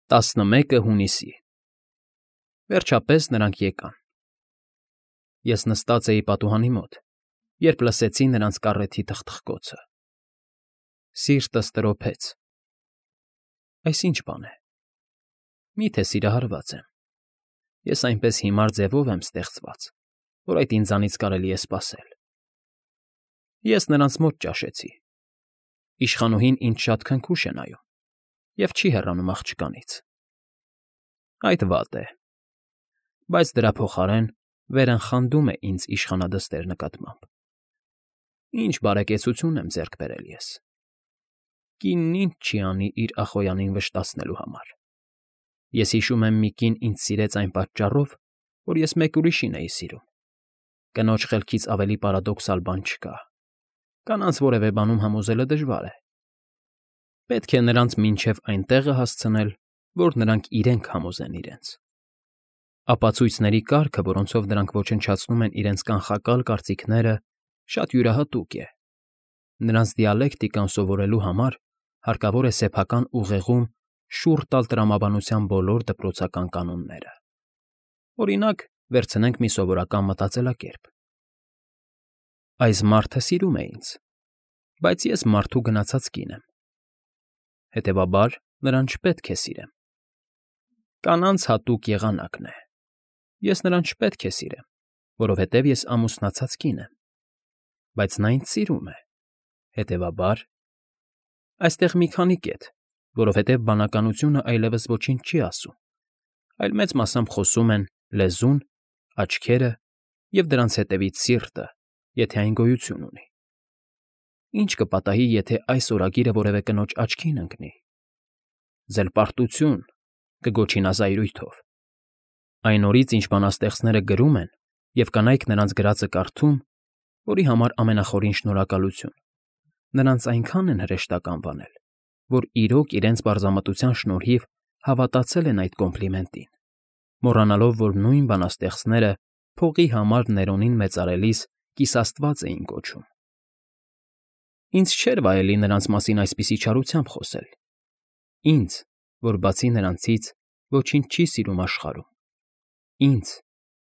11 հունիսի Վերջապես նրանք եկան։ Ես նստած էի պատուհանի մոտ, երբ լսեցի նրանց կառեթի թխթխկոցը։ Սիրտս տրոփեց։ Այս ի՞նչ բան է։ Մի՞թե սիրահարված եմ։ Ես այնպես հիմար ձևով եմ ստեղծված, որ այդ ինձանից կարելի է սպասել։ Ես նրանց մոտ ճաշեցի։ Իշխանուհին ինձ շատ քնքուշ է նայում և չի հեռանում աղջկանից։ Այդ վատ է, բայց դրա փոխարեն վերընխանդում է ինձ իշխանադստեր նկատմամբ։ Ինչ բարեկեցություն եմ ձեռք բերել ես։ Կինն ինչ չի անի իր ախոյանին վշտացնելու համար։ Ես հիշում եմ մի կին ինձ սիրեց այն պատճառով, որ ես մեկ ուրիշին էի սիրում։ Կնոջ խելքից ավելի պարադոքսալ բան չկա։ Կանանց որևէ բանում համոզելը դժվար է։ Պետք է նրանց մինչև այն տեղը հասցնել, որ նրանք իրենք համոզեն իրենց։ Ապացույցների կարգը, որոնցով դրանք ոչնչացնում են իրենց կանխակալ կարծիքները, շատ յուրահատուկ է։ Նրանց դիալեկտիկան սովորելու համար հարկավոր է սեփական ուղեղում շուռ տալ տրամաբանության բոլոր դպրոցական կանոնները։ Օրինակ, վերցնենք մի սովորական մտածելակերպ։ Այս մարդը սիրում է ինձ, բայց ես մարդու գնացած կին եմ։ Հետևաբար, նրան չպետք է սիրեմ։ Կանանց հատուկ եղանակն է։ Ես նրան չպետք է սիրեմ, որովհետև ես ամուսնացած կին եմ։ Բայց նա ինձ սիրում է։ Հետևաբար, այստեղ մի քանի կետ, որովհետև բանականությունը այլևս ոչինչ չի ասում, այլ մեծ մասամբ խոսում են լեզուն, աչքերը և դրանց հետևից սիրտը, եթե այն գոյություն ունի։ Ինչ կպատահի, եթե այս օրագիրը որևէ կնոջ աչքին ընկնի։ Զելպարտություն կգոչի նա զայրույթով։ Այն օրից, ինչ բանաստեղծները գրում են և կանայք նրանց գրածը կարդում, որի համար ամենախորին շնորհակալություն, նրանց այնքան են հրեշտակ անվանել, որ իրոք իրենց պարզամտության շնորհիվ հավատացել են այդ կոմպլիմենտին, մոռանալով, որ նույն բանաստեղծները փողի համար Ներոնին մեծարելիս կիսաստված էին կոչում։ Ինձ չէր վայելի նրանց մասին այսպիսի չարությամբ խոսել։ Ինձ, որ բացի նրանցից ոչինչ չի սիրում աշխարհում։ Ինձ,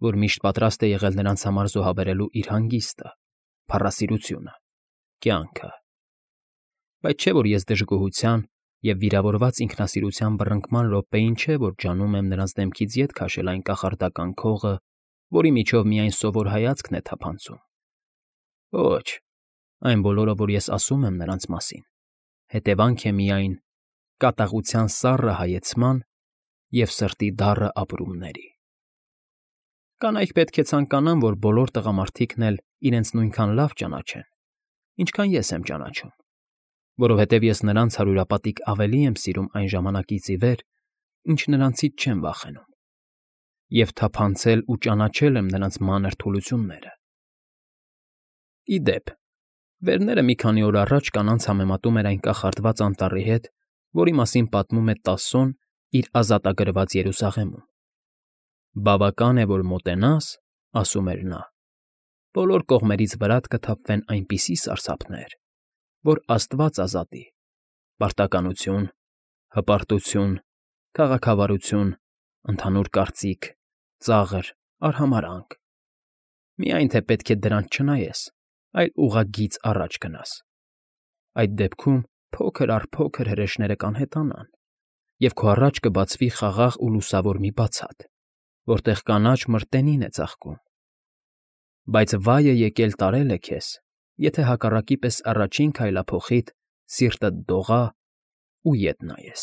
որ միշտ պատրաստ է եղել նրանց համար զոհաբերելու իր հանգիստը, փառասիրությունը, կյանքը։ Բայց չէ՞ որ ես դժգոհության և վիրավորված ինքնասիրության բռնկման րոպեին չէ, որ ջանում եմ նրանց դեմքից ետ քաշել այն կախարդական քողը, որի միջով միայն սովոր հայացքն է թափանցում։ Ոչ, այն բոլորը, որ ես ասում եմ նրանց մասին, հետևանք է միայն կատաղության սառը հայեցման և սրտի դառը ապրումների։ Կանայք պետք է ցանկանան, որ բոլոր տղամարդիկն էլ իրենց նույնքան լավ ճանաչեն, ինչքան ես եմ ճանաչում, որովհետև ես նրանց հարյուրապատիկ ավելի եմ սիրում այն ժամանակից ի վեր, ինչ նրանցից չեմ վախենում, և թափանցել ու ճանաչել եմ նրանց մանր թուլությունները։ Ի դեպ, վերները մի քանի օր առաջ կանանց համեմատում էր այն կախարդված անտառի հետ, որի մասին պատմում է Տասոն իր ազատագրված Երուսաղեմում։ Բավական է, որ մոտենաս, ասում էր նա, բոլոր կողմերից վրատ կթափվեն այնպիսի սարսափներ, որ աստված ազատի, պարտականություն, հպարտություն, քաղաքավարություն, ընդհանուր կարծիք, ծաղր, արհամարհանք։ Միայն թե պետք է դրանց չնայես, այլ ուղղագիծ առաջ գնաս։ Այդ դեպքում փոքր առ փոքր հրեշները կանհետանան, և քո առաջ կբացվի խաղաղ ու լուսավոր մի բացատ, որտեղ կանաչ մրտենին է ծաղկում։ Բայց վայ է եկել տարելը քեզ, եթե հակառակի պես առաջին քայլափոխիդ սիրտդ դողա ու ետ նայես։